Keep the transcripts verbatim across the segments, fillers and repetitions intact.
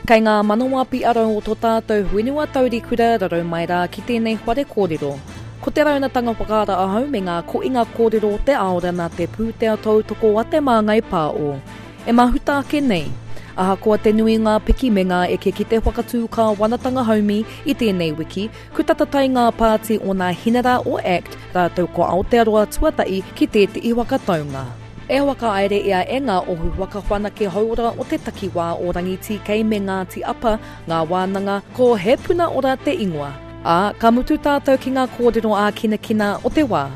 Kei ngā manawa piarau o tō tātou whenua taurikura rarau mai rā ki tēnei whare kōrero. Ko te raunatanga whakaara ahau me ngā koinga kōrero o te aora nā te pūtea tautoko a Te Māngai Pāo. E mahuta ake nei. Ahakoa te nui ngā piki me ngā eke ki te whakatū kāwanatanga haumi i tēnei wiki, ku tata tai ngā pāti o nā hinara o ACT rātou ko Aotearoa Tuatahi ki tētehi whakataunga. E whakahaere ia e ngā ohu whakawhanake hauora o te takiwā o Rangitīkei me Ngāti Apa, ngā wānanga, ko He Puna Ora te ingoa. Ā, ka mutu tātou ki ngā kōrero ākinakina o te wā.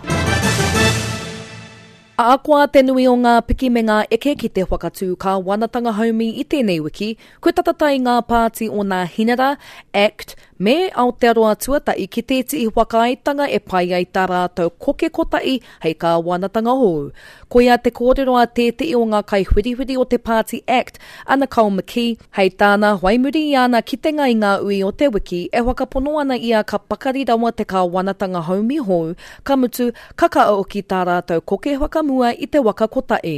Ahakoa te nui o ngā piki me ngā eke ki te whakatū kāwanatanga haumi i tēnei wiki, kua tata tai ngā pāti o nā Hinara, ACT, me Aotearoa Tuatahi ki tētehi whakaaetanga e pai ai tā rātou koke kotahi hei kāwanatanga hou. Koia te kōrero a tētehi o ngā kaiwhiriwhiri o te pāti ACT, a Nicole McKee, hei tāna, whai muri i ana kitenga i ngā ui o te wiki, e whakapono ana ia ka pakari rawa te kāwanatanga haumi hou, ka mutu, ka kaha hoki tā rātou koke whakamua i te waka kotahi.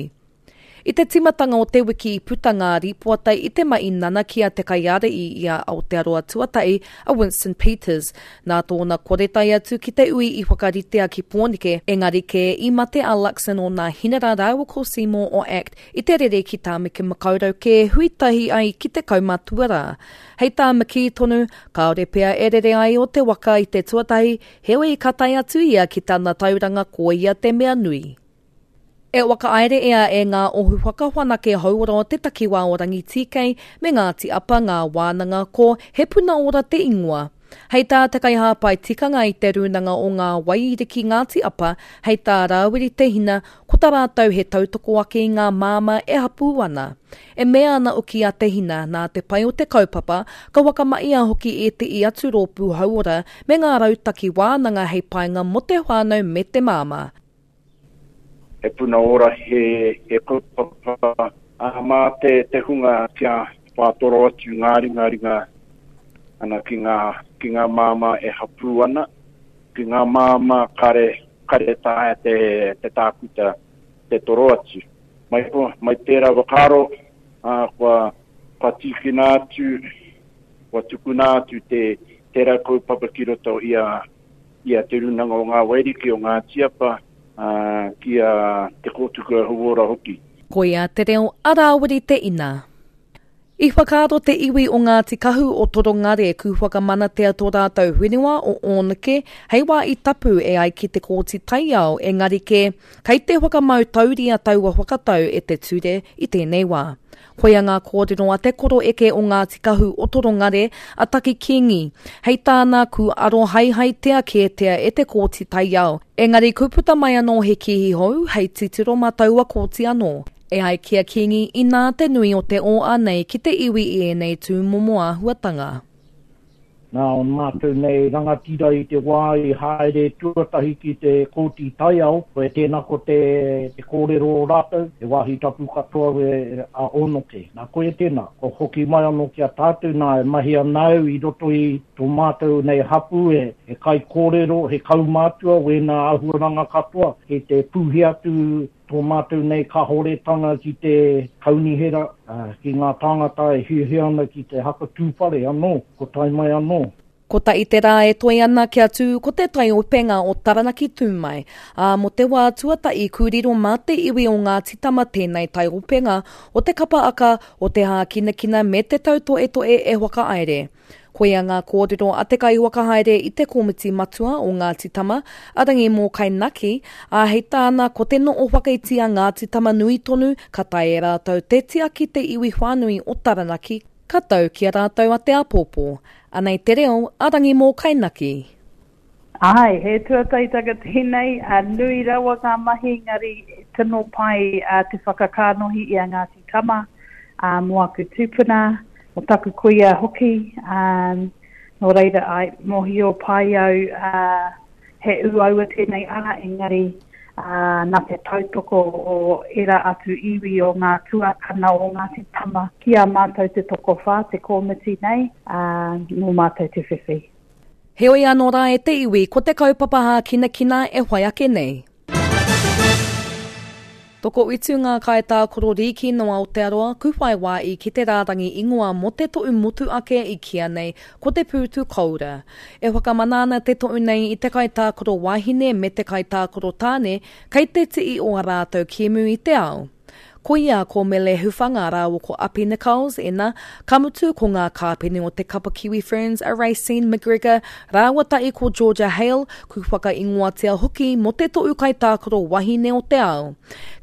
I te tīmatanga o te wiki i puta ngā rīpoata i te mahi nanakia te kaiārahi i a Aotearoa Tuatahi, a Winston Peters. Nā tōna kore tae atu ki te ui i whakaritea ki Pōneke, engari kē i mate a Luxon o nā Hinara rāua ko Seymour o ACT i te rere ki Tāmaki Makaurau kē hui tahi ai ki te kaumātua rā. Hei tā McKee tonu, kāore pea e rere ai o te waka i te tuatahi, heoi ka tae atu ia ki tana tauranga ko ia te mea nui. E whakahaere ia e ngā ohu whakawhanake hauora o te takiwā o Rangitīkei me Ngāti Apa ngā wānanga ko He Puna Ora te ingoa. Hei tā te kaihāpai tikanga i te rūnanga o ngā Waiariki Ngāti Apa, hei tā Rāwiri Te Hina, ko tā rātou he tautoko ake i ngā māmā e hapū ana. E mea ana hoki a Te Hina, nā te pai o te kaupapa, ka whakamahia hoki ētehi atu rōpū hauora me ngā rautaki wānanga hei painga mō te whānau me te māmā. He puna ora, he, he kaupapa ā, mā te, te hunga kia whātoro atu ngā ringaringa ana ki ngā, ki ngā māmā e hapū ana, ki ngā māmā kare, kare taea te, te tākuta te toro atu. Mai, mai tērā whakaaro, ā, kua, kua tīkina atu, kua tukuna atu te, tērā kaupapa ki roto i a, i a Te Rūnanga o Ngā Wairiki o Ngāti Apa, ā, ki a Te Kōtuku Hauora hoki. Koia te reo a Rāwiri Te Ina. I whakaaro te iwi o Ngāti Kahu o Torongare ku whakamanatea tō rātou whenua o Ōneke hei wā i tapu e ai ki te Kōti Taiao engari kē, kei te whakamau tauria taua whakatau e te ture i tēnei wā. Koia ngā kōrero a te koroeke o Ngāti Kahu o Torongare, a Taki Kingi. Hei tāna, ku arohaehaetia kētia e te Kōti Taiao, engari ku puta mai anō he kīhi hou hei titiro mā taua kōti anō. E ai ki a Kingi, inā te nui o te ō nei ki te iwi i ēnei tūmomo āhuatanga. Nā o mātou nei rangatira i te wā i haere tuatahi ki te Kōti Taiao, koe tēnā ko te, te kōrero o rātou, he wāhi tapu katoa e, a Ōnoke. Nā koe tēnā, ko hoki mai anō ki a tātou nā e mahi ana au i roto i tō mātou nei hapū e, he kaikōrero, he kaumātua, wēnā āhuaranga katoa, kei te pūhi atu tō mātou nei kahoretanga ki te kaunihera, ki ngā tāngata e hiahia ana ki te haka tūwhare anō, ko tae mai anō. Kotahi te rā e toe ana kia tū ko te taiopenga o Taranaki tū mai, ā, mō te wā tuatahi ku riro mā te iwi o Ngāti Tama tēnei taiopenga o te kapa aka, o te hākinakina me te tautoetoe e whakahaere. Koia ngā kōrero a te kaiwhakahaere i te komiti matua o Ngāti Tama, a Rangi Mōkai-Naki, ā, hei tāna ko te noo whakaiti a Ngāti Tama nui tonu ka tae e rātou te tiaki te iwi whānui o Taranaki, ka tau ki a rātou a te āpōpō. Anei te reo a Rangi Mōkai-Naki. Ai, he tuatahitanga tēnei, a nui rawa ngā mahi, engari tino pai a, te whakakānohi i a Ngāti Tama, a, mō aku tūpuna, mō taku kuia hoki, um, nō reira ai, mōhio pai au a, he uaua tēnei ara, engari a, nā te tautoko o era atu iwi o ngā tuakana o Ngāti Tama ki a mātou te tokowhā, te kōmiti nei, a, nō mātou te whiwhi. Heoi anō rā e te iwi, ko te kaupapa hākinakina e whai ake nei. Tokowhitu ngā kaitākaro rīki no Aotearoa ku whai wā i ki te rārangi ingoa mō te toʻu motu ake i kīa nei ko te pūtu koura. E whakamana ana te toʻu nei i te kaitākaro wahine me te kaitākaro tāne kei te ti'i o a rātou kēmu i te ao. Koia ko Mele Hufanga rāua ko Api Nichols, ena, ka mutu ko ngā kāpene o te kapa Kiwi Ferns a Raecene McGregor rāua tahi ko Georgia Hale, ku whakaingoatia hoki mō te toʻu kaitākaro wahine o te ao.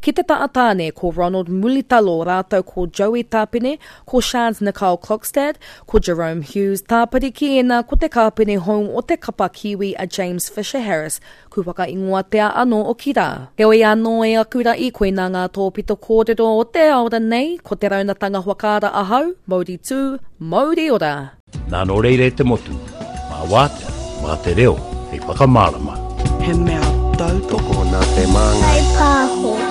Ki te taha tāne ko Ronald Mulitalo rātou ko Joey Tāpene, ko Shans Nicole Klokstad, ko Jerome Hughes tāpiri ki ēnā ko te kāpene hou o te kapa Kiwi a James Fisher-Harris, ku whakaingoatia anō oki rā. Heoi anō e aku ra'i, koinā ngā tōpito kōrero o te aora nei, ko te raunatanga whakaara ahau, mauri tū, mauri ora. Nā nō reira e te motu, mā wātea, mā te reo, hei whakamārama. He mea tautoko Tokona te māngai. Whai pāho.